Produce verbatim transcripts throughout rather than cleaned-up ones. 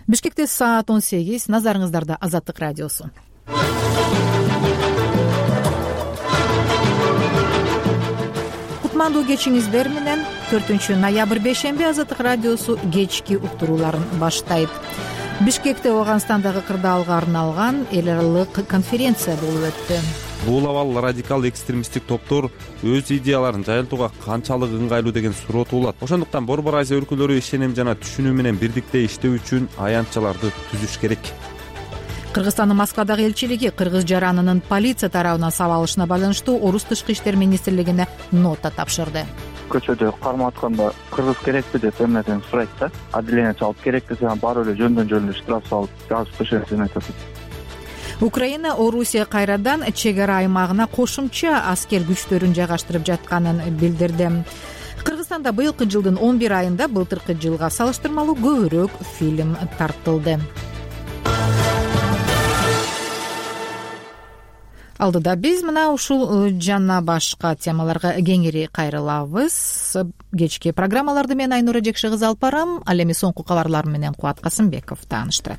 Бишкекте саат он сегиз. Назарыңыздарда Азаттык радиосу. Кутмандуу кечиңиздер менен төртүнчү ноябрь бейшемби Азаттык радиосу кечки уктурууларын баштайт. Бишкекте Ооганстандагы кырдаалга арналган эл аралык конференция болуп өттү. Бул абал радикал экстремисттик топтор өз идеяларын жайылтууга канчалык ыңгайлуу деген суроо туулат. Ошондуктан Борбор Азия өлкөлөрү ишеним жана түшүнүү менен бирдикте иштөө үчүн аянтчаларды түзүш керек. Кыргызстандын Москвадагы элчилиги кыргыз жаранынын полиция тарабынан сабалышына байланыштуу Орус тышкы иштер министрлигине нота тапшырды. Көчөдө кармап атканда кыргыз керекпи деп эмнеден сурайт да, отделение чалып керек десе барып эле жөндөн жөн штраф салып жазып түшөсүн айтат. Украина Орусия кайрадан чек ара аймагына кошумча аскер күчтөрүн жайгаштырып жатканын билдирди. Кыргызстанда быйылкы жылдын он бир айында былтыркы жылга салыштырмалуу көбүрөөк фильм тартылды. Алдыда биз мына ушул жана башка темаларга кеңири кайрылабыз. Кечки программаларды мен Айнура Жекши кызы алып барам. Ал эми соңку кабарлар менен Кубат Касымбеков тааныштырат.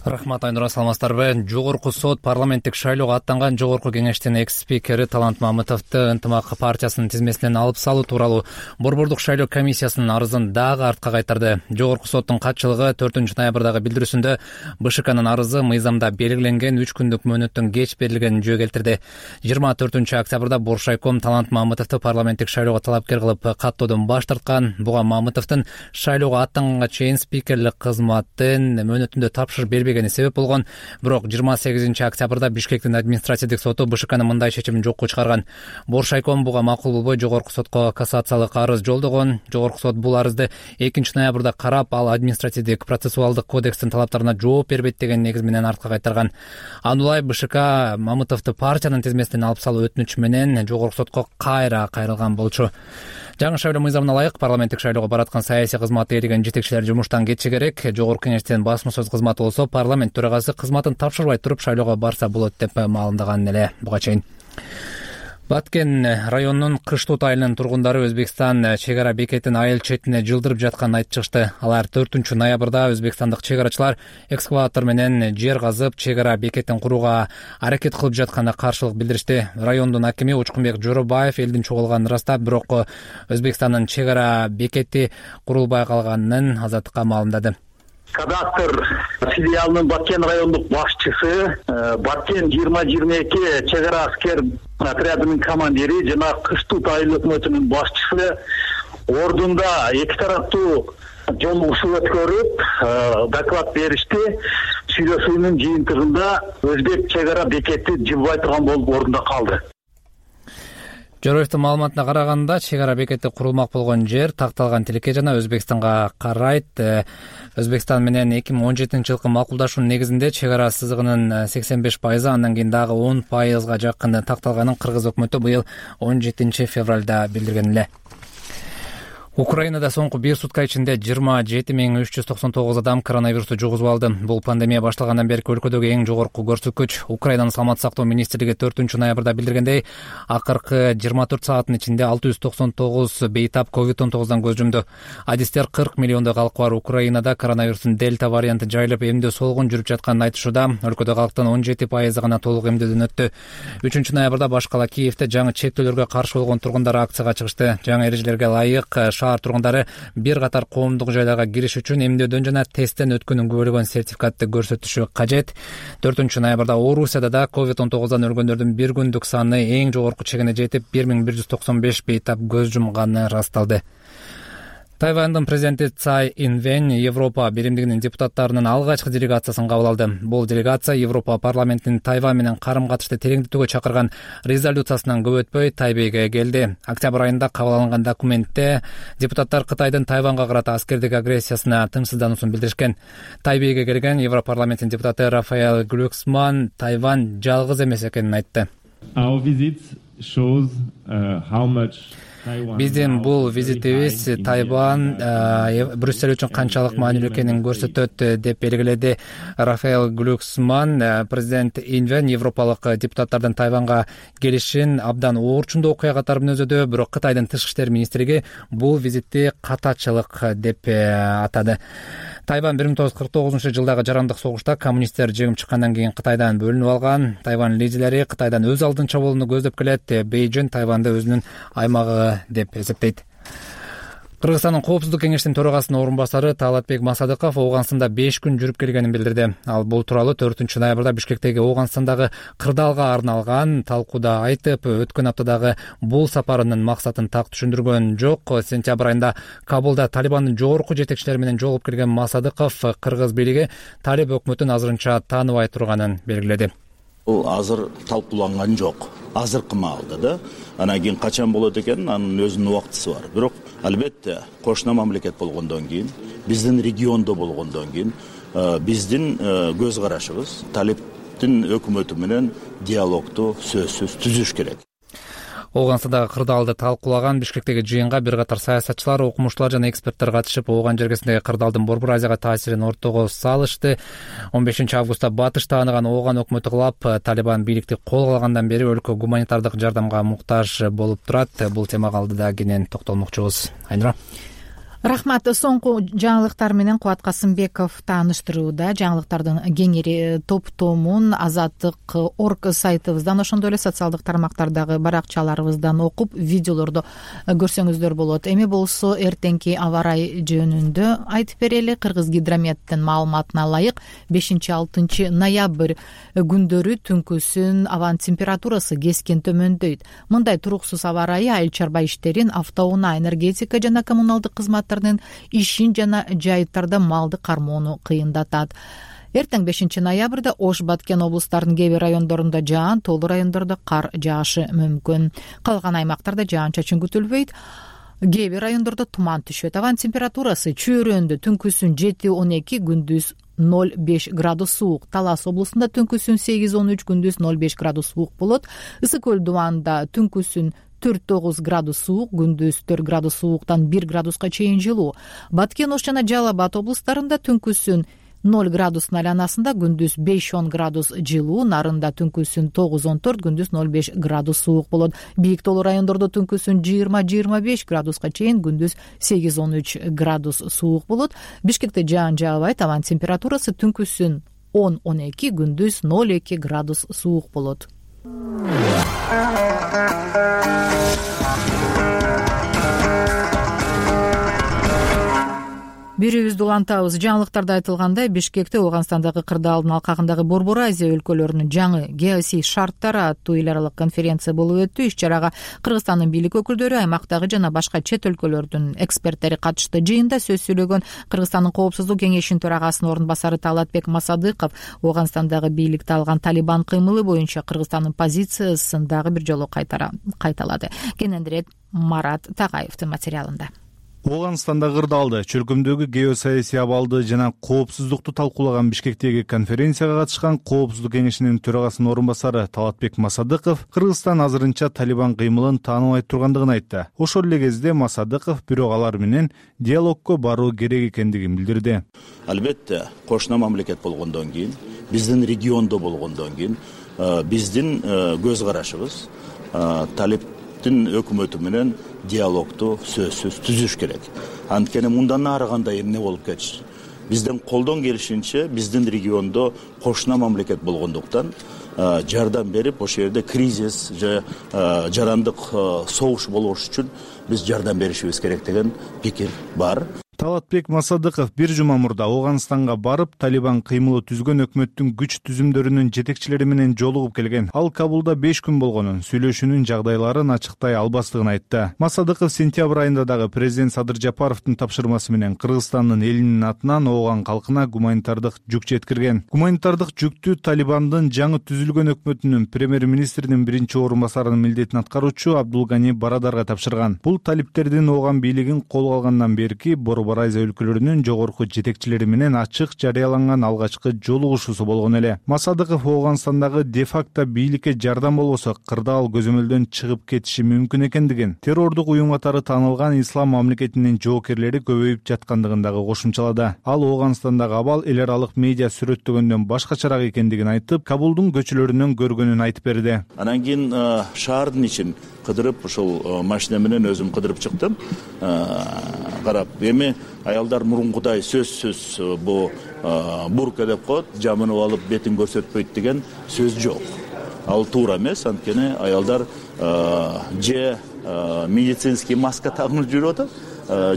Рахмат, Айнура, саламатсыздарбы? Жогорку сот парламенттик шайлоого аттанган жогорку кеңештин экс-спикери Талант Мамытовду Ынтымак партиясынын тизмесинен алып салуу тууралуу Борбордук шайлоо комиссиясынын арызын дагы артка кайтарды. Жогорку соттун катчылыгы төртүнчү ноябрдагы билдирүүсүндө БШКнын арызы мыйзамда белгиленген үч күндүк мөөнөттөн кеч берилгенин жөө келтирди. жыйырма төртүнчү октябрда Боршайком Талант Мамытовду парламенттик шайлоого талапкер кылып каттоодон баш тарткан. Буга Мамытовдун шайлоого аттанганга чейин спикерлик кызматын мөөнөтүндө тапшырып бербеген себеп болгон. Бирок жыйырма сегизинчи октябрда Бишкектин административдик соту БШКнын мындай чечимин жокко чыгарган. Боршайком буга макул болбой жогорку сотко кассациялык арыз жолдогон. Жогорку сот бул арызды экинчи ноябрда карап, ал административдик процессуалдык кодекстин талаптарына жооп бербейт деген негиз менен артка кайтарган. Андулай БШК Мамытовду партиянын тизмесинен алып салуу өтүнүчү менен жогорку сотко кайра кайрылган болчу. Жаңы шайлоо мыйзамына ылайык парламенттик шайлоого бараткан саясий кызматты ээлеген жетекчилер жумуштан кетиши керек. Жогорку кеңештин басма сөз кызматы болсо парламент төрагасы кызматын тапшырбай туруп шайлоого барса болот деп маалымдаган эле буга чейин. Баткен районунун Кыштут айылынын тургундары Өзбекстан чек ара бекетин айыл четине жылдырып жатканын айтып чыгышты. Алар төртүнчү ноябрда өзбекстандык чек арачылар экскаватор менен жер казып чек ара бекетин курууга аракет кылып жатканына каршылык билдиришти. Райондун акими Учкунбек Жоробаев элдин чогулганын ырастап, бирок Өзбекстандын чек ара бекети курулбай калганын Азаттыкка маалымдады. Кадастр филиалынын Баткен райондук башчысы, Баткен жыйырма жыйырма эки чек ара аскер отрядынын командири жана Кыштут айыл өкмөтүнүн башчысы ордунда эки тараптуу жолугушуу өткөрүп доклад беришти. Сүйлөшүүнүн жыйынтыгында Өзбек чек ара бекети жыбыбай турган болуп ордунда калды. Жороевдун маалыматына караганда, чек ара бекети курулмак болгон жер такталган тилекке жана Өзбекстанга карайт. Өзбекстан менен эки миң он жетинчи жылкы макулдашуунун негизинде чек ара сызыгынын сексен беш пайызы, андан кийин дагы он пайызга жакын такталганын кыргыз өкмөтү быйыл он жетинчи февралда билдирген эле. Украинада соңку бир сутка ичинде жыйырма жети миң үч жүз токсон тогуз адам коронавирусту жугузуп алды. Бул пандемия башталгандан берки өлкөдөгү эң жогорку көрсөткүч. Украинанын саламаттык сактоо министрлиги төртүнчү ноябрда билдиргендей, акыркы жыйырма төрт сааттын ичинде алты жүз токсон тогуз бейтап ковид он тогуздан көз жумду. Адистер кырк миллиондой калкы бар Украинада коронавирустун дельта варианты жайылып, эмдөө солгун жүрүп жатканын айтышууда. Өлкөдө калктын он жети пайызы гана толук эмдөөдөн өттү. үчүнчү ноябрда баш кала Киевде жаңы чектөөлөргө каршы болгон тургундар акцияга чыгышты. Жаңы эрежелерге ылайык шаар тургундары бир катар коомдук жайларга кириш үчүн эмдөөдөн жана тесттен өткөнүн күбөлөгөн сертификатты көрсөтүшү кажет. төртүнчү ноябрда Орусияда да ковид он тогуздан өлгөндөрдүн бир күндүк саны эң жогорку чегине жетип, бир миң бир жүз токсон беш бейтап көз жумганы ырасталды. Тайвандын президенти Цай Инвэнь Европа биримдигинин депутаттарынын алгачкы делегациясын кабыл алды. Бул делегация Европа парламентинин Тайвань менен карым-катышты тереңдетүүгө чакырган резолюциясынан көп өтпөй Тайбейге келди. Октябрь айында кабыл алынган документте депутаттар Кытайдын Тайванга карата аскердик агрессиясына тынчсыздануусун билдиришкен. Тайбейге келген Европарламенттин депутаты Рафаэл Глюксман Тайвань жалгыз эмес экенин айтты. Our visit shows uh, how much Биздин бул визитибиз Тайвань Брюссель үчүн канчалык маанилүү экенин көрсөтөт деп белгиледи Рафаэл Глюксман. Президент Инвэнь европалык депутаттардын Тайванга келишин абдан оорчундуу окуя катары мүнөздөдү, бирок Кытайдын тышкы иштер министрлиги бул визитти катачылык деп атады. Тайвань бир миң тогуз жүз кырк тогузунчу жылдагы жарандык согушта коммунисттер жеңип чыккандан кийин Кытайдан бөлүнүп алган. Тайвань лидерлери Кытайдан өз алдын чабуулууну көздөп келет. Бейжин Тайваньды өзүнүн аймагы деп эсептейт. Кыргызстандын Коопсуздук кеңешинин төрагасынын орун басары Талатбек Масадыков Ооганстанда беш күн жүрүп келгенин билдирди. Ал бул тууралуу төртүнчү ноябрда Бишкектеги Ооганстандагы кырдаалга арналган талкууда айтып, өткөн аптадагы бул сапарынын максатын так түшүндүргөн жок. Сентябрь айында Кабулда Талибандын жогорку жетекчилери менен жолугуп келген Масадыков кыргыз бийлиги Талиб өкмөтүн азырынча тааныбай турганын белгиледи. Бул азыр талкууланган жок. Азыркы маалда да, анан кийин качан болот экен, анын өзүнүн убактысы бар. Бирок албетте кошуна мамлекет болгондон кийин, биздин региондо болгондон кийин биздин көз карашыбыз Талибдин өкмөтү менен диалогду сөзсүз түзүш керек. Ооганстандагы кырдаалды талкуулаган Бишкектеги жыйынга бир катар саясатчылар, окумуштуулар жана эксперттер катышып, Ооган жергесиндеги кырдаалдын Борбор Азияга таасирин ортого салышты. он бешинчи августта батыш тааныган Ооган өкмөтү кулап, Талибан бийликти колго алгандан бери өлкө гуманитардык жардамга муктаж болуп турат. Бул темага алдыда кенен токтолмокчубуз. Айнура. Рахмат. Соңку жаңылыктар менен Кубат Касымбеков тааныштырууда. Жаңылыктардын кеңири топтомун Азаттык орг сайтыбыздан, ошондой эле социалдык тармактардагы баракчаларыбыздан окуп, видеолорду көрсөңүздөр болот. Эми болсо эртеңки аба ырайы жөнүндө айтып берели. Кыргызгидрометтин маалыматына ылайык бешинчи алтынчы ноябрь күндөрү түнкүсүн абанын температурасы кескен төмөндөйт. Мындай туруксуз аба ырайы айыл чарба иштерин, автоунаа, энергетика жана коммуналдык кызмат ишин жана жайыттарда малды кармоону кыйындатат. Эртең бешинчи ноябрда Ош, Баткен облустарынын кээ бир райондорунда жаан, тоолуу райондордо кар жаашы мүмкүн. Калган аймактарда жаан-чачын күтүлбөйт. Кээ бир райондордо туман түшөт. Абанын температурасы чөйрөндө түнкүсүн жети он эки, күндүз ноль беш градус суук. Талас облусунда түнкүсүн сегиз он үч, күндүз ноль беш градус суук болот. Ысык көл дубанда түнкүсүн төрт тогуз градус суук, күндүз төрт градус сууктан бир градуска чейин жылуу. Баткен, Ош жана Жалал Абад облустарында түнкүсүн ноль градустун айланасында, күндүз беш он градус жылуу, Нарында түнкүсүн тогуз он төрт, күндүз ноль беш градус суук болот. Бийик тоолуу райондордо түнкүсүн жыйырма жыйырма беш градуска чейин, күндүз сегиз он үч градус суук болот. Бишкекте жаан жаабайт, абанын температурасы түнкүсүн он он эки, күндүз ноль эки градус суук болот. Бирибизди улантабыз. Жаңылыктарда айтылгандай, Бишкекте Ооганстандагы кырдаалдын алкагындагы Борбор Азия өлкөлөрүнүн жаңы геосий шарттары аттуу эл аралык конференция болуп өттү. Иш чарага Кыргызстандын бийлик өкүлдөрү, аймактагы жана башка чет өлкөлөрдүн эксперттери катышты. Жыйында сөз сүйлөгөн Кыргызстандын Коопсуздук кеңешинин төрагасынын орун басары Талатбек Масадыков Ооганстандагы бийликти алган Талибан кыймылы боюнча Кыргызстандын позициясын дагы бир жолу кайталады. Кенендирээк Марат Тагаевдин материалында. Ооганстанда кырдаалды, чөлкөмдөгү геосаясий абалды жана коопсуздукту талкуулаган Бишкектеги конференцияга катышкан Коопсуздук кеңешинин төрагасынын орун басары Талатбек Масадыков Кыргызстан азырынча Талибан кыймылын тааныбай тургандыгын айтты. Ошол эле кезде Масадыков бирок алар менен диалогко баруу керек экендигин билдирди. Албетте, кошуна мамлекет болгондон кийин, биздин региондо болгондон кийин, биздин көз карашыбыз Талибдин өкмөтү менен диалогду сөзсүз түзүш керек. Анткени мындан ары кандай эмне болуп кетиши. Бизден колдон келишинче биздин региондо кошуна мамлекет болгондуктан жардам берип, ошол жерде кризис же жарандык согуш болбош үчүн биз жардам беришибиз керек деген пикир бар. Талатбек Масадыков бир жума мурда Ооганстанга барып, Талибан кыймылы түзгөн өкмөттүн күч түзүмдөрүнүн жетекчилери менен жолугуп келген. Ал Кабулда беш күн болгонун, сүйлөшүүнүн жагдайларын ачыктай албастыгын айтты. Масадыков сентябрь айында дагы президент Садыр Жапаровдун тапшырмасы менен Кыргызстандын элинин атынан Ооган калкына гуманитардык жүк жеткирген. Гуманитардык жүктү Талибандын жаңы түзүлгөн өкмөтүнүн премьер-министринин биринчи орун басарынын милдетин аткаруучу Абдулгани Барадарга тапшырган. Бул талиптердин Ооган бийлигин колго алгандан берки Борбор Азия өлкөлөрүнүн жогорку жетекчилери менен ачык жарыяланган алгачкы жолугушуусу болгон эле. Масадыков Ооганстандагы де-факто бийликке жардам болбосо кырдаал көзөмөлдөн чыгып кетиши мүмкүн экендигин, террордук уюм катары таанылган ислам мамлекетинин жоокерлери көбөйүп жаткандыгын дагы кошумчалады. Ал Ооганстандагы абал эл аралык медиа сүрөттөгөндөн башкачараак экендигин айтып, Кабулдун көчөлөрүнөн көргөнүн айтып берди. Анан кийин шаардын ичин кыдырып ушул машина менен өзүм кыдырып чыктым. Карап, эми аялдар мурункудай сөзсүз бу бурка деп коет, жамынып алып бетин көрсөтпөйт деген сөз жок. Ал туура эмес, анткени аялдар же медицинский маска тагынып жүрүп атат,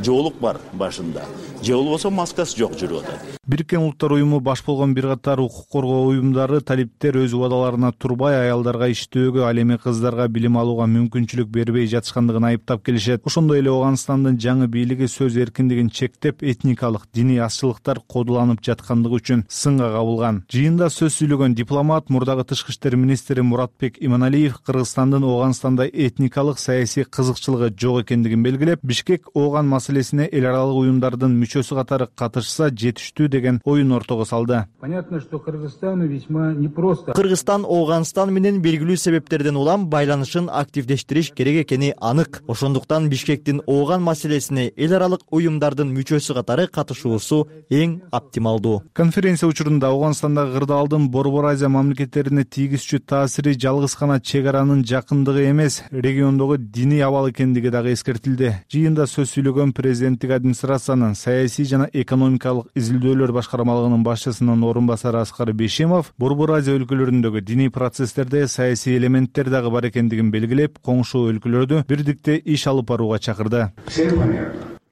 жоолук бар башында, же болбосо маскасы жок жүрүп атат. Бириккен Улуттар уюму баш болгон бир катар укук коргоо уюмдары талиптер өз убадаларына турбай аялдарга иштөөгө, ал эми кыздарга билим алууга мүмкүнчүлүк бербей жатышкандыгын айыптап келишет. Ошондой эле Ооганстандын жаңы бийлиги сөз эркиндигин чектеп, этникалык, диний азчылыктар кодуланып жаткандыгы үчүн сынга кабылган. Жыйында сөз сүйлөгөн дипломат, мурдагы тышкы иштер министри Муратбек Иманалиев Кыргызстандын Ооганстанда этникалык саясий кызыкчылыгы жок экендигин белгилеп, Бишкек Ооган маселесине эл аралык уюмдардын мүчөсү катары катышса жетиштүү деген оюн ортого салды. Понятно, что Кыргызстану весьма непросто. Кыргызстан Ооганстан менен белгилүү себептерден улам байланышын активдештириш керек экени анык. Ошондуктан Бишкектин Ооган маселесине эл аралык уюмдардын мүчөсү катары катышуусу эң оптималдуу. Конференция учурунда Ооганстандагы кырдаалдын Борбор Азия мамлекеттерине тийгизчү таасири жалгыз гана чек аранын жакындыгы эмес, региондогу диний абал экендиги дагы эскертилди. Жыйында сөз сүйлөгөн президенттик администрациянын саясий жана экономикалык изилдөөлөр башкармалыгынын башчысынын орун басары Аскар Бейшемов Борбор Азия өлкөлөрүндөгү диний процесстерде саясий элементтер дагы бар экендигин белгилеп, коңшу өлкөлөрдү бирдикте иш алып барууга чакырды.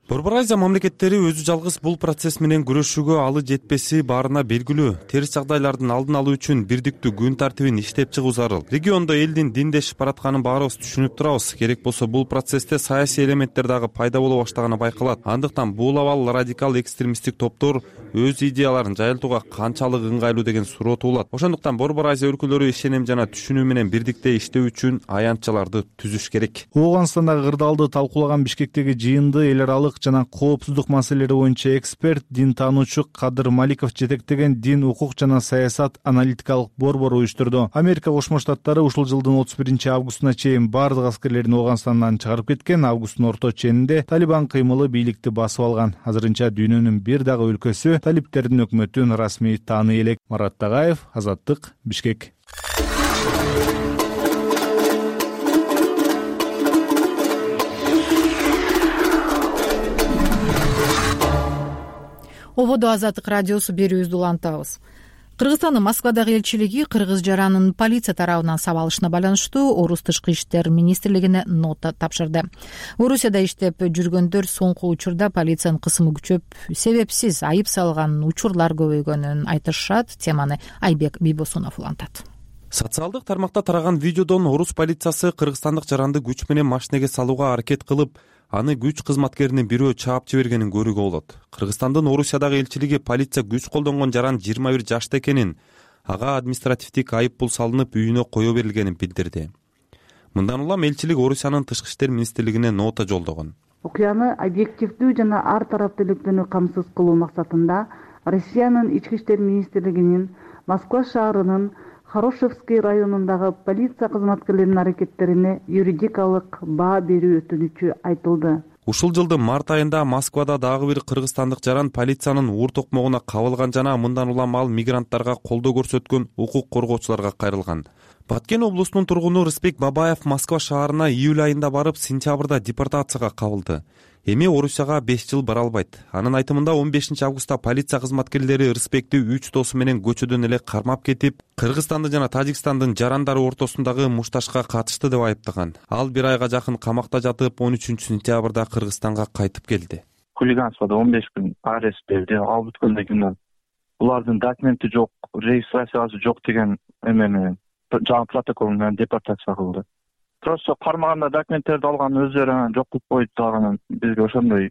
Борбор Азия мамлекеттери өзү жалгыз бул процесс менен күрөшүүгө алы жетпеси баарына белгилүү. Терс жагдайлардын алдын алуу үчүн бирдиктүү күн тартибин иштеп чыгуу зарыл. Региондо элдин диндешип баратканын баарыбыз түшүнүп турабыз. Керек болсо бул процессте саясий элементтер дагы пайда боло баштаганы байкалат. Андыктан бул абал радикал экстремисттик топтор өз идеяларын жайылтууга канчалык ыңгайлуу деген суроо туулат. Ошондуктан Борбор Азия өлкөлөрү ишенем жана түшүнүү менен бирдикте иштөө үчүн аянтчаларды түзүш керек. Ооганстандагы кырдаалды талкуулаган Бишкектеги жыйынды эл аралык жана коопсуздук маселелери боюнча эксперт, дин таануучу Кадыр Маликов жетектеген дин, укук жана саясат аналитикалык борбор уюштурду. Америка Кошмо Штаттары ушул жылдын отуз биринчи августуна чейин бардык аскерлерин Ооганстандан чыгарып кеткен. Августтун орто ченинде Талибан кыймылы бийликти басып алган. Азырынча дүйнөнүн бир дагы өлкөсү талиптердин өкмөтүн расмий тааный элек. Марат Тагаев, Азаттык, Бишкек. Ободо Азаттык радиосу берүүбүздү улантабыз. Кыргызстандын Москвадагы элчилиги кыргыз жаранын полиция тарабынан сабалышына байланыштуу Орус тышкы иштер министрлигине нота тапшырды. Орусияда иштеп жүргөндөр соңку учурда полициянын кысымы күчөп, себепсиз айып салган учурлар көбөйгөнүн айтышат. Теманы Айбек Бийбосунов улантат. Социалдык тармакта тараган видеодон орус полициясы кыргызстандык жаранды күч менен машинеге салууга аракет кылып, аны күч кызматкеринин бирөө чаап жибергенин көрүүгө болот. Кыргызстандын Орусиядагы элчилиги полиция күч колдонгон жаран жыйырма бир жашта экенин, ага административдик айып пул салынып, үйүнө кое берилгенин билдирди. Мындан улам элчилик Орусиянын тышкы иштер министрлигине нота жолдогон. Окуяны объективдүү жана ар тараптуулукту камсыз кылуу максатында Россиянын ички иштер министрлигинин Москва шаарынын Хорошевский районундагы полиция кызматкерлеринин аракеттерине юридикалык баа берүү өтүнүчү айтылды. Ушул жылдын март айында Москвада дагы бир кыргызстандык жаран полициянын уур токмогуна кабылган жана мындан улам ал мигранттарга колдоо көрсөткөн укук коргоочуларга кайрылган. Баткен облусунун тургуну Рыспек Бабаев Москва шаарына июль айында барып, сентябрда депортацияга кабылды. Эми Орусияга беш жыл бара албайт. Анын айтымында он бешинчи августта полиция кызматкерлери Рыспекти үч досу менен көчөдөн эле кармап кетип, Кыргызстандын жана Тажикстандын жарандары ортосундагы мушташка катышты деп айыптаган. Ал бир айга жакын камакта жатып, он үчүнчү сентябрда Кыргызстанга кайтып келди. Хулиганствода он беш күн арест берди. Ал бүткөндөн кийин булардын документи жок, регистрациясы жок деген эме менен жаңы протокол менен депортация кылды. Просто кармаганда документтерди алган өздөрү жок кылып коюп дагы бизге ошондой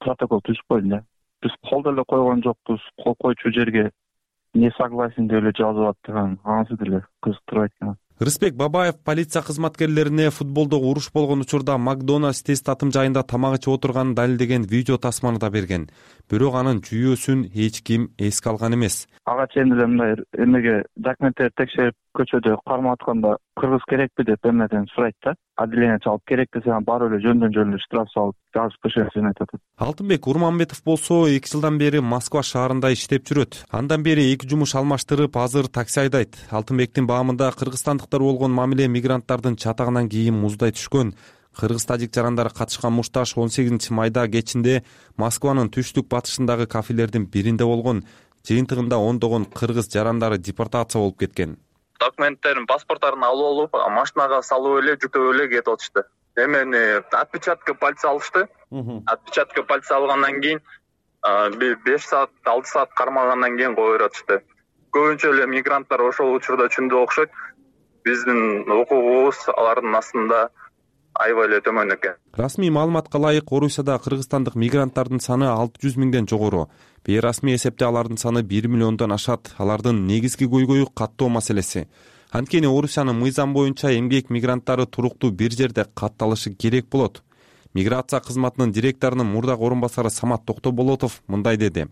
протокол түзүп койду да. Биз кол деле койгон жокпуз, кол койчу жерге не согласен деп эле жазып аттыган, анысы деле кызыктырбайт экен. Рыспек Бабаев полиция кызматкерлерине футболдо уруш болгон учурда Макдональдс тест татым жайында тамак ичип отурганын далилдеген видео тасманы да берген. Бирок анын жүйөсүн эч ким эске алган эмес. ага чейин эле мындай эмеге документтерди текшерип көчөдө кармап атканда кыргыз керекпи деп эмеден сурайт да. Отделение чалып керек десе барып эле жөндөн жөн эле штраф салып жазып көчөбүз деп айтат. Алтынбек Урманбетов болсо эки жылдан бери Москва шаарында иштеп жүрөт. Андан бери эки жумуш алмаштырып, азыр такси айдайт. Алтынбектин баамында кыргызстандыктар болгон мамиле мигранттардын чатагынан кийин муздай түшкөн. Кыргыз-тажик жарандары катышкан мушташ он сегизинчи майда кечинде Москванын түштүк батышындагы кафелердин биринде болгон. Жыйынтыгында ондогон кыргыз жарандары депортация болуп кеткен. Документтерин, паспорттарын алып алып, машинага салып эле, жүктөп эле кетип атышты. Эмени отпечатка пальца алышты. Отпечатка пальца алгандан кийин беш саат, алты саат кармагандан кийин кое беришти. Көбүнчө эле мигранттар ошол учурда түшүндү окшойт. Биздин укугубуз алардын астында аябай эле төмөн экен. Расмий маалыматка ылайык Орусияда кыргызстандык мигранттардын саны алты жүз миңден жогору. Бейрасмий эсепте алардын саны бир миллиондон ашат. Алардын негизги көйгөйү каттоо маселеси. Анткени Орусиянын мыйзам боюнча эмгек мигранттары туруктуу бир жерде катталышы керек болот. Миграция кызматынын директорунун мурдагы орун басары Самат Токтоболотов мындай деди.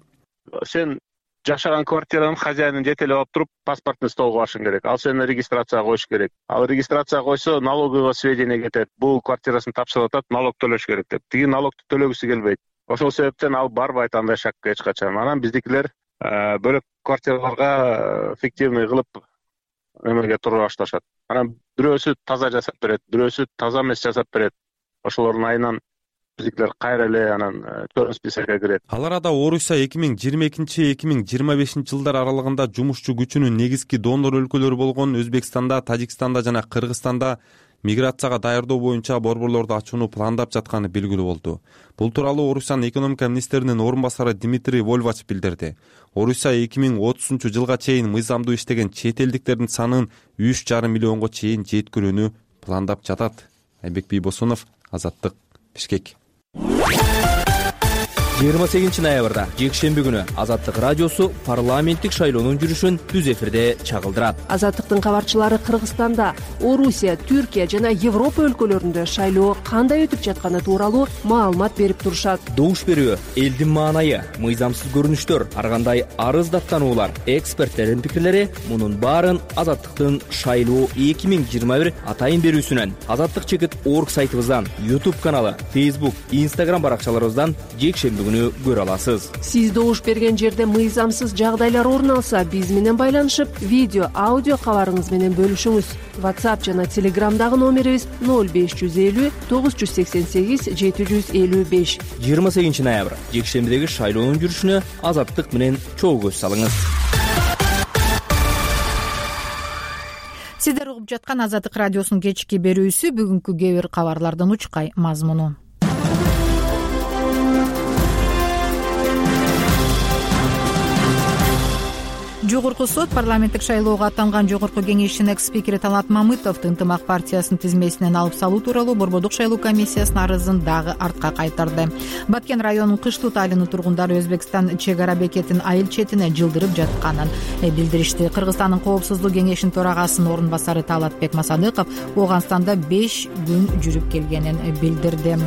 Сен жашаган квартиранын хозяинин жетелеп алып туруп, паспортун столго коюшуң керек. Ал сени регистрацияга коюш керек. Ал регистрацияга койсо, налоговый сведения кетет. Бул квартирасын тапшырып атат, налог төлөш керек деп. Тиги налогду төлөгүсү келбейт. Ошол себептен ал барбайт андай шакка эч качан. Анан биздикилер бөлөк квартираларга фиктивный кылып эмеге туруп башташат. Анан бирөөсү таза жасап берет, бирөөсү таза эмес жасап берет. Ошолордун айынан биздикилер кайра эле анан чорун списокко кирет. Ал арада Орусия эки миң жыйырма экинчи эки миң жыйырма бешинчи жылдар аралыгында жумушчу күчүнүн негизги донор өлкөлөрү болгон Өзбекстанда, Тажикстанда жана Кыргызстанда миграцияга даярдоо боюнча борборлорду ачууну пландап жатканы белгилүү болду. Бул тууралуу Орусиянын экономика министринин орун басары Дмитрий Вольвач билдирди. Орусия эки миң отузунчу жылга чейин мыйзамдуу иштеген чет элдиктердин санын үч жарым миллионго чейин жеткирүүнү пландап жатат. Айбек Бийбосунов, Азаттык, Бишкек. жыйырма сегизинчи ноябрда жекшемби күнү Азаттык радиосу парламенттик шайлоонун жүрүшүн түз эфирде чагылдырат. Азаттыктын кабарчылары Кыргызстанда, Орусия, Түркия жана Европа өлкөлөрүндө шайлоо кандай өтүп жатканы тууралуу маалымат берип турушат. Добуш берүү, элдин маанайы, мыйзамсыз көрүнүштөр, ар кандай арыз даттануулар, эксперттердин пикирлери мунун баарын Азаттыктын шайлоо эки миң жыйырма бир атайын берүүсүнөн, Азаттык чекит орг сайтыбыздан, YouTube каналы, Facebook, Instagram баракчаларыбыздан жекшемби көрө аласыз. Сиз добуш берген жерде мыйзамсыз жагдайлар орун алса, биз менен байланышып, видео, аудио кабарыңыз менен бөлүшүңүз. WhatsApp жана Telegramдагы номерибиз ноль беш жүз элүү тогуз жүз сексен сегиз жети жүз элүү беш. жыйырма сегизинчи ноябрь жекшембидеги шайлоонун жүрүшүнө Азаттык менен чогуу көз салыңыз. Сиздер угуп жаткан Азаттык радиосунун кечки берүүсү бүгүнкү кээ бир кабарлардын учкай мазмуну. Жогорку сот парламенттик шайлоого аттанган Жогорку кеңештин экс-спикери Талант Мамытовду ынтымак партиясынын тизмесинен алып салуу тууралуу Борбордук шайлоо комиссиясынын арызын дагы артка кайтарды. Баткен районунун Кыштут айылынын тургундары Өзбекстан чек ара бекетин айыл четине жылдырып жатканын билдиришти. Кыргызстандын коопсуздук кеңешинин төрагасынын орун басары Талатбек Масадыков Ооганстанда беш күн жүрүп келгенин билдирди.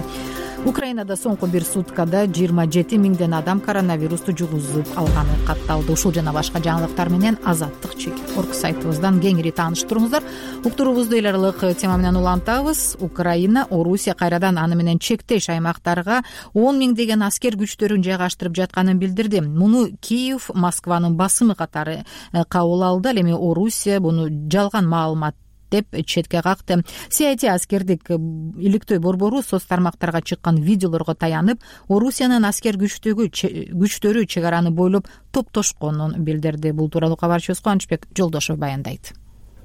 Украинада соңку бир суткада жыйырма жети миңден адам коронавирусту жугузуп алганы катталды. Ушул жана башка жаңылыктар менен Азаттык чекит орг сайтыбыздан кеңири тааныштырыңыздар. Уктуруубузду эл аралык тема менен улантабыз. Украина, Орусия кайрадан аны менен чектеш аймактарга он миңдеген аскер күчтөрүн жайгаштырып жатканын билдирди. Муну Киев, Москванын басымы катары кабыл алды. Ал эми Орусия буну жалган маалымат деп четке какты. Си ай ти аскердик иликтөө борбору соц тармактарга чыккан видеолорго таянып, Орусиянын аскер күчтөгү күчтөрү чек араны бойлоп топтошконун билдирди. Бул тууралуу кабарчыбыз Кубанычбек Жолдошов баяндайт.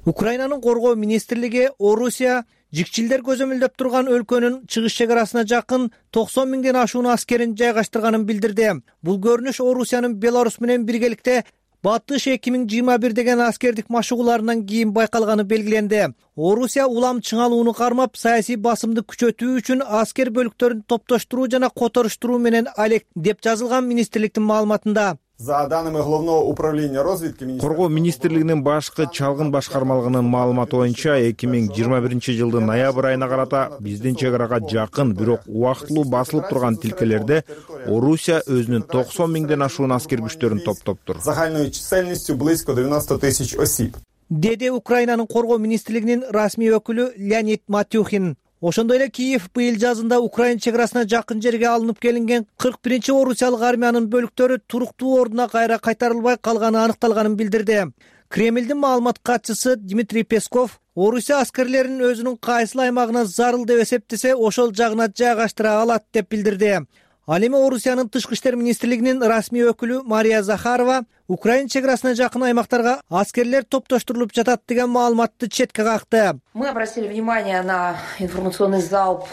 Украинанын коргоо министрлиги Орусия жикчилдер көзөмөлдөп турган өлкөнүн чыгыш чек арасына жакын токсон миңден ашуун аскерин жайгаштырганын билдирди. Бул көрүнүш Орусиянын Беларусь менен биргеликте Батыш эки миң жыйырма бир деген аскердик машыгууларынан кийин байкалганы белгиленди. Орусия улам чыңалууну кармап, саясий басымды күчөтүү үчүн аскер бөлүктөрүн топтоштуруу жана которуштуруу менен алек деп жазылган министрликтин маалыматында. За данными Главного управления разведки Коргоо министрлигинин башкы чалгын башкармалыгынын маалыматы боюнча эки миң жыйырма биринчи жылдын ноябрь айына карата биздин чек арага жакын, бирок убактылуу басылып турган тилкелерде Орусия өзүнүн токсон миңден ашуун аскер күчтөрүн топтоптур. Загальной численностью близко девяносто тысяч осиб. Деди Украинанын коргоо министрлигинин расмий өкүлү Леонид Матюхин. Ошондой эле Киев быйыл жазында Украина чек арасына жакын жерге алынып келинген кырк биринчи орусиялык армиянын бөлүктөрү туруктуу ордуна кайра кайтарылбай калганы аныкталганын билдирди. Кремлдин маалымат катчысы Дмитрий Песков Орусия аскерлерин өзүнүн кайсыл аймагына зарыл деп эсептесе, ошол жагына жайгаштыра алат деп билдирди. Ал эми Орусиянын тышкы иштер министрлигинин расмий өкүлү Мария Захарова Украина чек арасына жакын аймактарга аскерлер топтоштурулуп жатат деген маалыматты четке какты. Мы обратили внимание на информационный залп.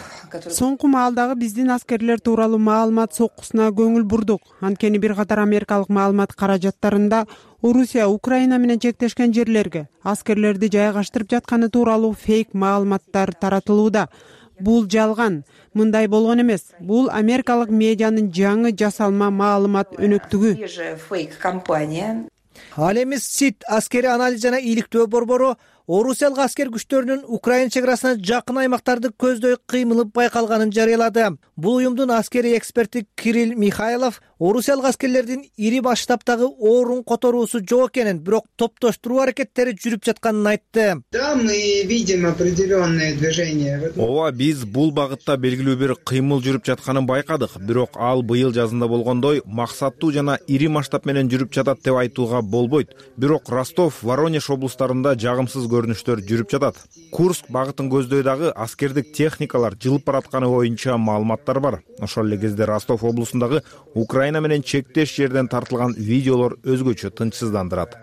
Соңку маалдагы биздин аскерлер тууралуу маалымат соккусуна көңүл бурдук. Анткени бир катар америкалык маалымат каражаттарында Орусия Украина менен чектешкен жерлерге аскерлерди жайгаштырып жатканы тууралуу фейк маалыматтар таратылууда. Бул жалган. Мындай болгон эмес. Бул америкалык медианын жаңы жасалма маалымат өнөктүгү. Ал эми СИТ аскери анализ жана иликтөө борбору Орусиялык аскер күчтөрүнүн Украина чек арасына жакын аймактарды көздөй кыймылы байкалганын жарыялады. Бул уюмдун аскери эксперти Кирилл Михайлов орусиялык аскерлердин ири масштабтагы орун которуусу жок экенин, бирок топтоштуруу аракеттери жүрүп жатканын айтты. Да, мы видим определенные движения. Ооба, биз бул багытта белгилүү бир кыймыл жүрүп жатканын байкадык, бирок ал быйыл жазында болгондой максаттуу жана ири масштаб менен жүрүп жатат деп айтууга болбойт. Бирок Ростов, Воронеж облустарында жагымсыз көрүнүштөр жүрүп жатат. Курск багытын көздөй дагы аскердик техникалар жылып баратканы боюнча маалыматтар бар. Ошол эле кезде Ростов облусундагы Украина менен чектеш жерден тартылган видеолор өзгөчө тынчсыздандырат.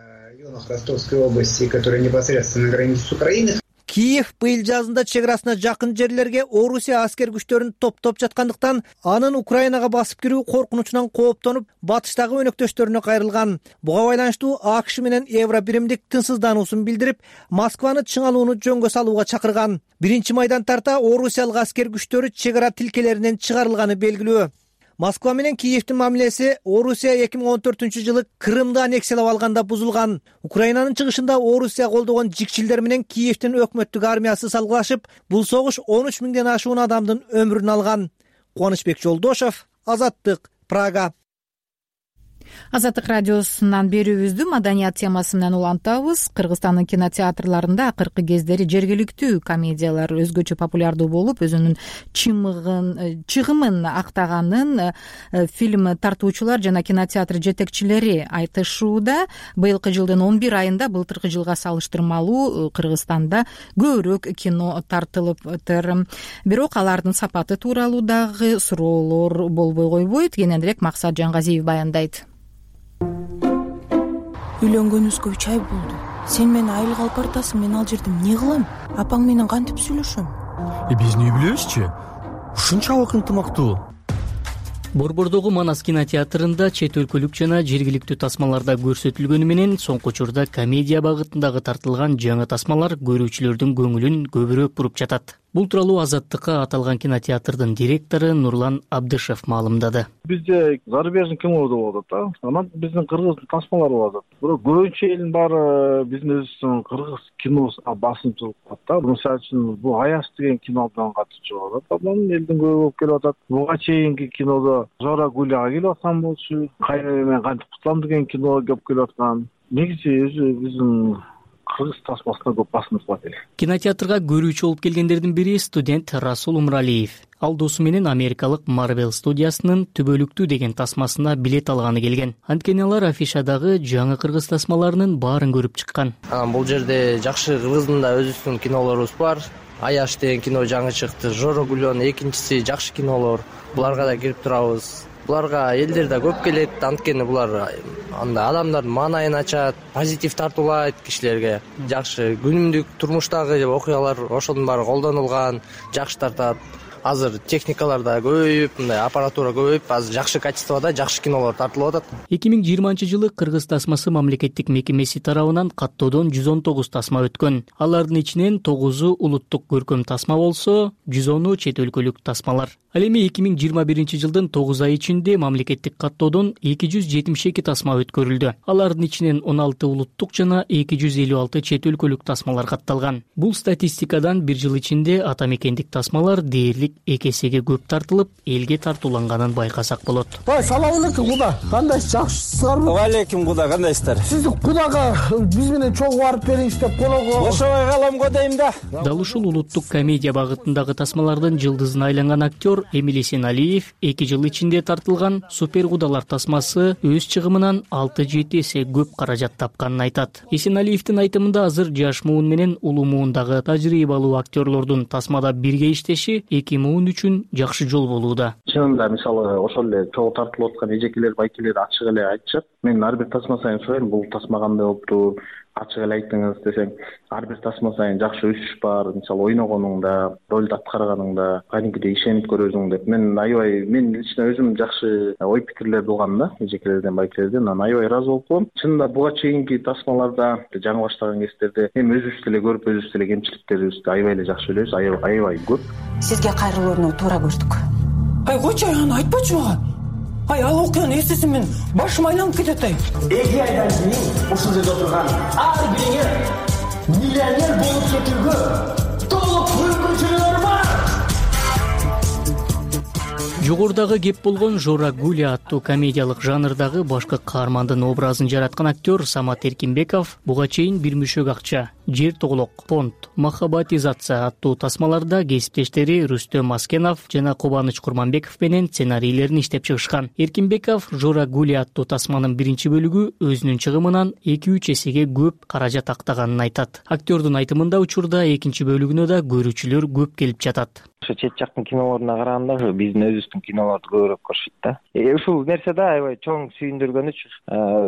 Ростовской области, которая непосредственно граничит с Украиной. Киев быйыл жазында чек арасына жакын жерлерге Орусия аскер күчтөрүн топтоп жаткандыктан анын Украинага басып кирүү коркунучунан кооптонуп, батыштагы өнөктөштөрүнө кайрылган. Буга байланыштуу АКШ менен Евро биримдик тынчсыздануусун билдирип, Москваны чыңалууну жөнгө салууга чакырган. Биринчи майдан тарта орусиялык аскер күчтөрү чек ара тилкелеринен чыгарылганы белгилүү. Москва менен Киевдин мамилеси Орусия эки миң он төртүнчү жылы Крымды аннексиялап алганда бузулган. Украинанын чыгышында Орусия колдогон жикчилдер менен Киевдин өкмөттүк армиясы салгылашып, бул согуш он үч миңден ашуун адамдын өмүрүн алган. Кубанычбек Жолдошев, Азаттык, Прага. Азаттык радиосунан берүүбүздү маданият темасы менен улантабыз. Кыргызстандын кинотеатрларында акыркы кездери жергиликтүү комедиялар өзгөчө популярдуу болуп, өзүнүн чымыгын, чыгымын актаганын фильм тартуучулар жана кинотеатр жетекчилери айтышууда. Быйылкы жылдын он бир айында былтыркы жылга салыштырмалуу Кыргызстанда көбүрөөк кино тартылыптыр. Бирок алардын сапаты тууралуу дагы суроолор болбой койбойт. Кененирээк Максат Жангазиев баяндайт. Үйлөнгөнүбүзгө үч ай болду. Сен мени айлык алып бартасың, мен ал жерде эмне кылам? Апаң менен кантип сүйлөшөм? Э биз эмне билебизчи? Ушунчалык ынтымактуу. Борбордогу Манас кинотеатрында чет өлкөлүк жана жергиликтүү тасмаларда көрсөтүлгөнү менен соңку учурда комедия багытындагы тартылган жаңы тасмалар көрүүчүлөрдүн көңүлүн көбүрөөк буруп жатат. Бул тууралуу Азаттыкка аталган кинотеатрдын директору Нурлан Абдышев маалымдады. Бизде зарубежный кино болуп атат да. Анан биздин кыргыз тасмалар болуп атат. Бирок көбүнчө элдин баары биздин өзүбүздүн кыргыз киносуна басымчылык кылат да. Мисалы үчүн бул Аяш деген кинодон катчу болуп атат. Анан элдин көбү болуп келип атат. Буга чейинки кинодо Жора Гуляга келип аткан болчу. Кайра мен кантип кутулам деген кино келип келип аткан. Негизи өзү биздин кыргыз тасмасына көп басым кылат эле. Кинотеатрга көрүүчү болуп келгендердин бири студент Расул Умралиев. Ал досу менен америкалык Marvel студиясынын Түбөлүктүү деген тасмасына билет алганы келген. Анткени алар афишадагы жаңы кыргыз тасмаларынын баарын көрүп чыккан. Бул жерде жакшы кыргыздын да өзүбүздүн кинолорубуз бар. Аяш деген кино жаңы чыкты. Жора Гулёнун экинчиси жакшы кинолор. Буларга да кирип турабыз. Буларга элдер да көп келет, анткени булар анда адамдардын маанайын ачат, позитив тартуулайт кишилерге. Жакшы күнүмдүк турмуштагы окуялар ошонун баары колдонулган, жакшы тартат. азыр техникалар да көбөйүп, мындай аппаратура көбөйүп, азыр жакшы качествода жакшы кинолор тартылып атат. эки миң жыйырманчы жылы Кыргыз тасмасы мамлекеттик мекемеси тарабынан каттоодон жүз он тогуз тасма өткөн. Алардын ичинен тогузу улуттук көркөм тасма болсо, жүз оны чет өлкөлүк тасмалар. Ал эми эки миң жыйырма биринчи жылдын тогуз ай ичинде мамлекеттик каттоодон эки жүз жетимиш эки тасма өткөрүлдү. Алардын ичинен он алты улуттук жана эки жүз элүү алты чет өлкөлүк тасмалар катталган. Бул статистикадан бир жыл ичинде ата мекендик тасмалар дээрлик эки эсеге көп тартылып, элге тартууланганын байкасак болот. Салам алейкум куда. Кандайсыз, жакшысыздарбы? Алейкум куда, кандайсыздар? Сизди кудага биз менен чогуу барып бериңиз деп колого. Ошобой калам го дейм да. Дал ушул улуттук комедия багытындагы тасмалардын жылдызына айланган актер Эмиль Эсеналиев эки жыл ичинде тартылган Супер кудалар тасмасы өз чыгымынан алты жети эсе көп каражат тапканын айтат. Эсеналиевдин айтымында азыр жаш муун менен улуу муундагы тажрыйбалуу актерлордун тасмада бирге иштеши эки муун үчүн жакшы жол болууда. Чынында мисалы ошол эле чогуу тартылып аткан эжекелер, байкелер ачык эле айтышат. Мен ар бир тасма сайын сурайм, бул тасма кандай болуптур, ачык эле айттыңыз десем, ар бир тасма сайын жакшы өсүш бар. Мисалы ойногонуңда, ролду аткарганыңда, кадимкидей ишенип көрөсүң деп. Мен аябай, мен лично өзүм жакшы ой пикирлер болгон да, эжекелерден, байкелерден, анан аябай ыраазы болуп калам. Чынында буга чейинки тасмаларда, жаңы баштаган кездерде эми өзүбүз деле көрүп, өзүбүз деле кемчиликтерибизди аябай эле жакшы билебиз, аябай көп. Сизге кайрылууну туура көрдүк. Ай, койчу, аны айтпачы мага. Ай, ал окуяны эстесем мен башым айланып кетет ай. эки айдан кийин ушул жерде отурган ар бириңер миллионер болуп кетүүгө толук мүмкүнчүлүгү бар. Жогорудагы кеп болгон Жора Гуля аттуу комедиялык жанрдагы башкы каармандын образын жараткан актер Самат Эркинбеков буга чейин бир мүшөк акча, Жер тоголок, Понт, Махаббатизация аттуу тасмаларда кесиптештери Рүстөм Аскенов жана Кубаныч Курманбеков менен сценарийлерин иштеп чыгышкан. Эркинбеков Жора Гуля аттуу тасманын биринчи бөлүгү өзүнүн чыгымынан эки үч эсеге көп каражат актаганын айтат. Актердун айтымында учурда экинчи бөлүгүнө да көрүүчүлөр көп келип жатат. Ошо чет жактын кинолоруна караганда ошо биздин өзүбүздүн кинолорду көбүрөөк көрүшүт да. Ушул нерсе да аябай чоң сүйүндүргөнүчү.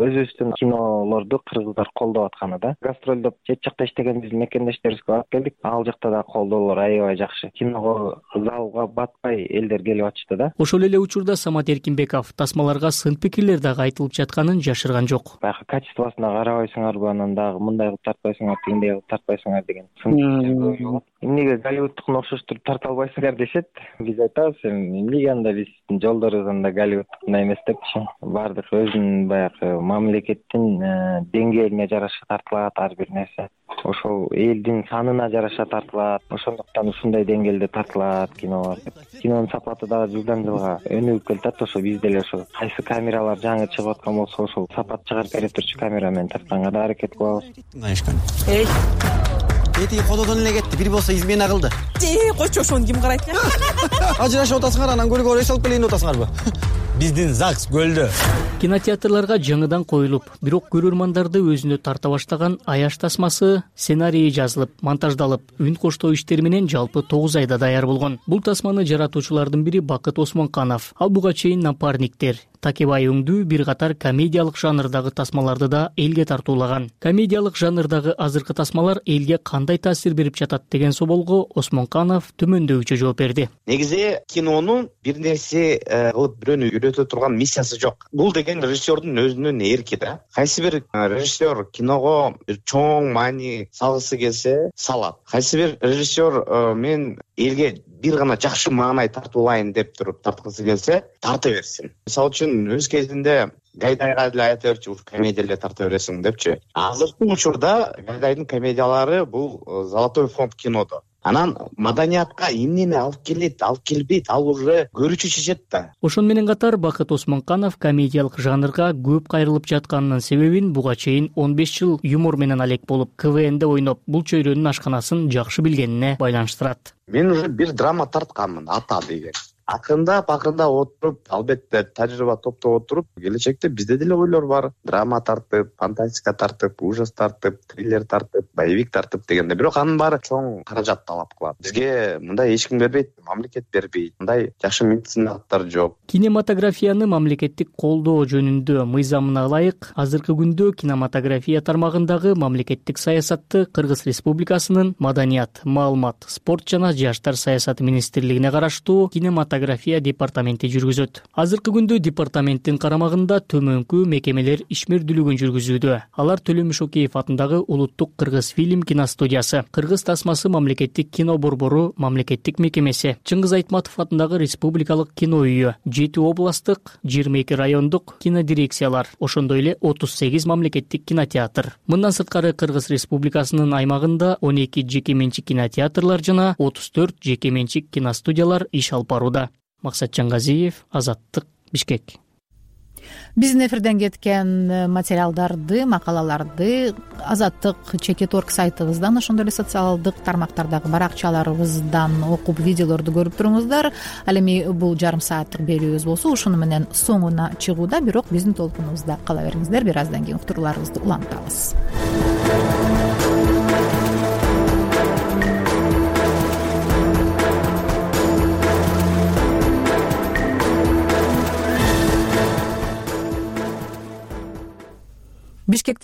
Өзүбүздүн кинолорду кыргыздар колдоп атканы да. Гастролдоп чет жакта иштеген биздин мекендештерибизге барып келдик. Ал жакта да колдоолор аябай жакшы. Киного залга батпай элдер келип атышты да. Ошол эле учурда Самат Эркинбеков тасмаларга сын пикирлер дагы айтылып жатканын жашырган жок. Баягы качествосуна карабайсыңарбы, анан дагы мындай кылып тартпайсыңар, тигиндей кылып тартпайсыңар деген сын пикирлер болот. Эмнеге Голливудтукуна окшоштуруп тарта албайсыңар дешет. Биз айтабыз, эмнеге анда биздин жолдорубуз анда Голливудтукундай эмес депчи. Баардык өзүнүн баягы мамлекеттин деңгээлине жараша тартылат ар бир нерсе. Ошол элдин санына жараша тартылат. Ошондуктан ушундай деңгээлде тартылат кинолор. Кинонун сапаты дагы жылдан жылга өнүгүп келатат. Ошо биз деле ошо кайсы камералар жаңы чыгып аткан болсо, ошол сапат чыгарып бере турчу камерамен тартканга да аракет кылабыз. Эй, Эти кододон эле кетти, бир болсо измена кылды. Э, койчу, ошону ким карайт? Ажырашып атасыңар, анан көлгө эс алып келейин деп атасыңарбы? Биздин ЗАГС көлдө. Кинотеатрларга жаңыдан коюлуп, бирок көрөрмандарды өзүнө тарта баштаган Аяш тасмасы сценарийи жазылып, монтаждалып, үн коштоо иштери менен жалпы тогуз айда даяр болгон. Бул тасманы жаратуучулардын бири Бакыт Осмонканов. Ал буга чейин Напарниктер, Такебай өңдүү бир катар комедиялык жанрдагы тасмаларды да элге тартуулаган. Комедиялык жанрдагы азыркы тасмалар элге кандай таасир берип жатат деген соолго Осмонканов төмөндөөгүчө жооп берди. Негизи кинонун бир нерсе кылып бирөөнү үйрөтө турган миссиясы жок. Бул деген режиссердун өзүнүн эрки да. Кайсы бир режиссер киного бир чоң маани салгысы келсе салат. Кайсы бир режиссер мен элге бир гана жакшы маанай тартуулайын деп туруп тарткысы келсе тарта берсин. Мисалы үчүн өз кезинде Гайдайга деле айта берчү, комедия эле тарта бересиң депчи. Азыркы учурда Гайдайдын комедиялары бул золотой фонд кинодо. Анан маданиятка эмнени алып келет, алып келбейт, ал уже көрүүчү чечет да. Ошон менен катар Бакыт Осмонканов комедиялык жанрга көп кайрылып жатканынын себебин буга чейин он беш жыл юмор менен алек болуп, КВНде ойноп, бул чөйрөнүн ашканасын жакшы билгенине байланыштырат. Мен уже бир драма тартканмын, Ата деген. акырындап акырындап отуруп, албетте тажрыйба топтоп отуруп, келечекте бизде деле ойлор бар. Драма тартып, фантастика тартып, ужас тартып, триллер тартып, боевик тартып дегенде. Бирок анын баары чоң каражат талап кылат. Бизге мындай эч ким бербейт, мамлекет бербейт. Мындай жакшы медициналыктар жок. Кинематографияны мамлекеттик колдоо жөнүндө мыйзамына ылайык азыркы күндө кинематография тармагындагы мамлекеттик саясатты Кыргыз Республикасынын Маданият, маалымат, спорт жана жаштар саясаты министрлигине караштуу кинематография департаменти жүргүзөт. Азыркы күндө департаменттин карамагында төмөнкү мекемелер ишмердүүлүгүн жүргүзүүдө. Алар Төлөм Шокеев атындагы Улуттук Кыргыз фильм киностудиясы, Кыргыз тасмасы мамлекеттик кино борбору мамлекеттик мекемеси, Чыңгыз Айтматов атындагы Республикалык кино үйү, жети областык, жыйырма эки райондук кинодирекциялар, ошондой эле отуз сегиз мамлекеттик кинотеатр. Мындан сырткары Кыргыз Республикасынын аймагында он эки жеке менчик кинотеатрлар жана отуз төрт жеке менчик киностудиялар иш алып барууда. Максатжан Газиев, Азаттык, Бишкек. Биздин эфирден кеткен материалдарды, макалаларды Азаттык чекит точка орг сайтыбыздан, ошондой эле социалдык тармактардагы баракчаларыбыздан окуп, видеолорду көрүп туруңуздар. Ал эми бул жарым сааттык берүүбүз болсо ушуну менен соңуна чыгууда, бирок биздин толкунубузда кала бериңиздер. Бир аздан кийин уктурууларыбызды улантабыз. Бишкекте